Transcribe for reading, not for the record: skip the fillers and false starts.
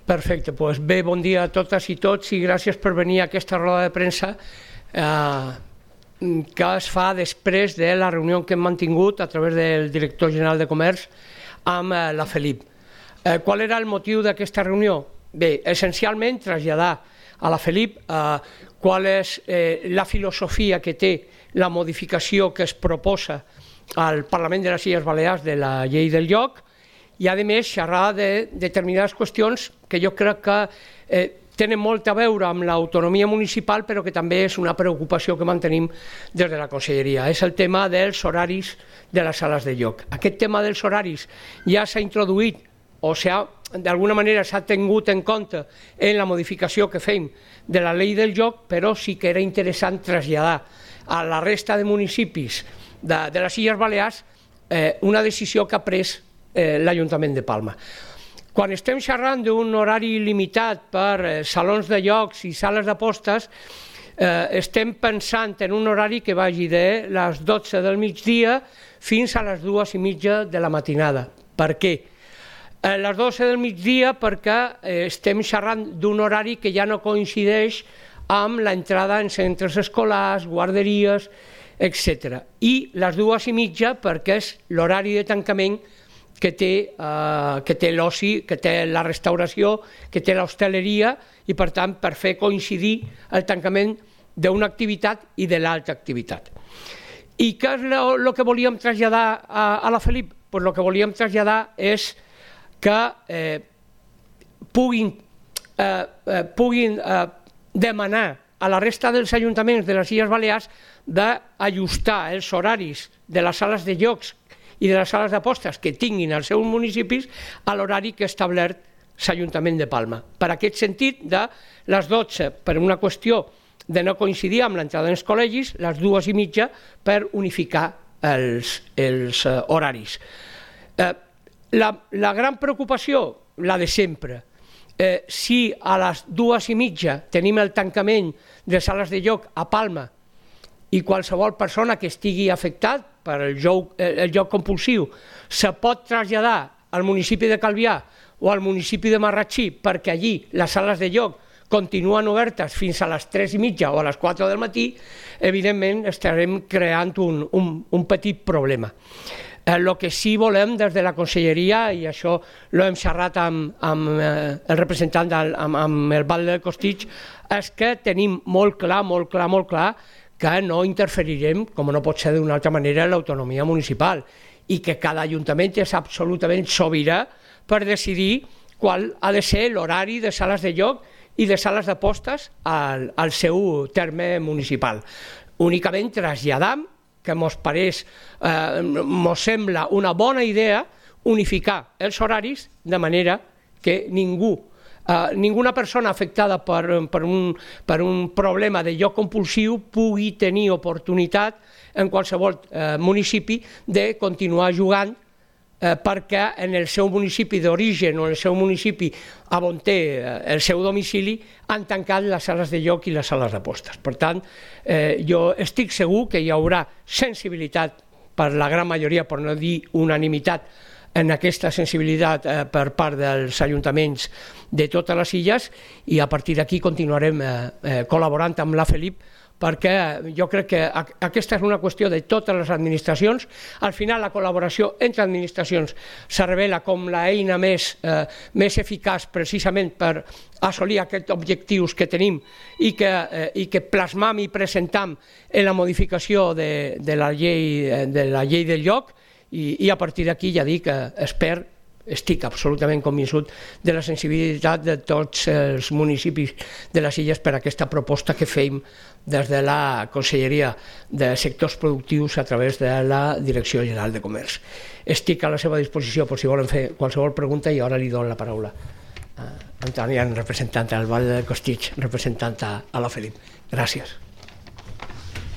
Perfecte, doncs bé, bon dia a totes i tots i gràcies per venir a aquesta roda de premsa que es fa després de la reunió que hem mantingut a través del director general de Comerç amb la Felip. Qual era el motiu d'aquesta reunió? Bé, essencialment traslladar a la Felip qual és la filosofia que té la modificació que es proposa al Parlament de les Illes Balears de la llei del lloc i, a més, xerrar de determinades qüestions que jo crec que tenen molt a veure amb l'autonomia municipal, però que també és una preocupació que mantenim des de la Conselleria. És el tema dels horaris de les sales de joc. Aquest tema dels horaris ja s'ha introduït o d'alguna manera s'ha tingut en compte en la modificació que fem de la llei del joc, però sí que era interessant traslladar a la resta de municipis de les Illes Balears una decisió que ha pres l'Ajuntament de Palma. Quan estem xerrant d'un horari limitat per salons de jocs i sales d'apostes, estem pensant en un horari que vagi de les 12 del migdia fins a les 2:30 de la matinada. Per què? Les 12 del migdia perquè estem xerrant d'un horari que ja no coincideix amb l'entrada en centres escolars, guarderies, etc. I les 2:30 perquè és l'horari de tancament que té l'oci, que té la restauració, que té l'hostaleria i, per tant, per fer coincidir el tancament d'una activitat i de l'altra activitat. I què és el que volíem traslladar a la Felip? Doncs el que volíem traslladar és que puguin demanar a la resta dels ajuntaments de les Illes Balears d'ajustar els horaris de les sales de jocs i de les sales d'apostes que tinguin als seus municipis a l'horari que ha establert l'Ajuntament de Palma. Per aquest sentit, de les 12 per una qüestió de no coincidir amb l'entrada dels col·legis, les 2:30 per unificar els horaris. La gran preocupació, la de sempre, si a les 2:30 tenim el tancament de sales de joc a Palma i qualsevol persona que estigui afectat per el joc compulsiu se pot traslladar al municipi de Calvià o al municipi de Marratxí perquè allí les sales de joc continuen obertes fins a les 3:30 o a les 4 del matí, evidentment estarem creant un petit problema. El que sí volem des de la Conselleria, i això l'hem xerrat amb el representant, amb el Val del Costitx, és que tenim molt clar que no interferirem, com no pot ser d'una altra manera, en l'autonomia municipal i que cada ajuntament és absolutament sobirà per decidir qual ha de ser l'horari de sales de joc i de sales d'apostes al seu terme municipal. Únicament traslladam que mos sembla una bona idea unificar els horaris de manera que ninguna persona afectada per un problema de joc compulsiu pugui tenir oportunitat en qualsevol municipi de continuar jugant perquè en el seu municipi d'origen o en el seu municipi on té el seu domicili han tancat les sales de joc i les sales d'apostes. Per tant, jo estic segur que hi haurà sensibilitat per la gran majoria, per no dir unanimitat, en aquesta sensibilitat per part dels ajuntaments de totes les illes i a partir d'aquí continuarem col·laborant amb la Felip perquè jo crec que aquesta és una qüestió de totes les administracions. Al final la col·laboració entre administracions se revela com l'eina més eficaç precisament per assolir aquests objectius que tenim i que plasmam i presentam en la modificació de la llei del lloc i a partir d'aquí ja dic que estic absolutament convençut de la sensibilitat de tots els municipis de les illes per aquesta proposta que fem des de la Conselleria de Sectors Productius a través de la Direcció General de Comerç. Estic a la seva disposició per si volen fer qualsevol pregunta i ara li dono la paraula a Antònia, representant del Val del Costitx, representant a la Felip. Gràcies.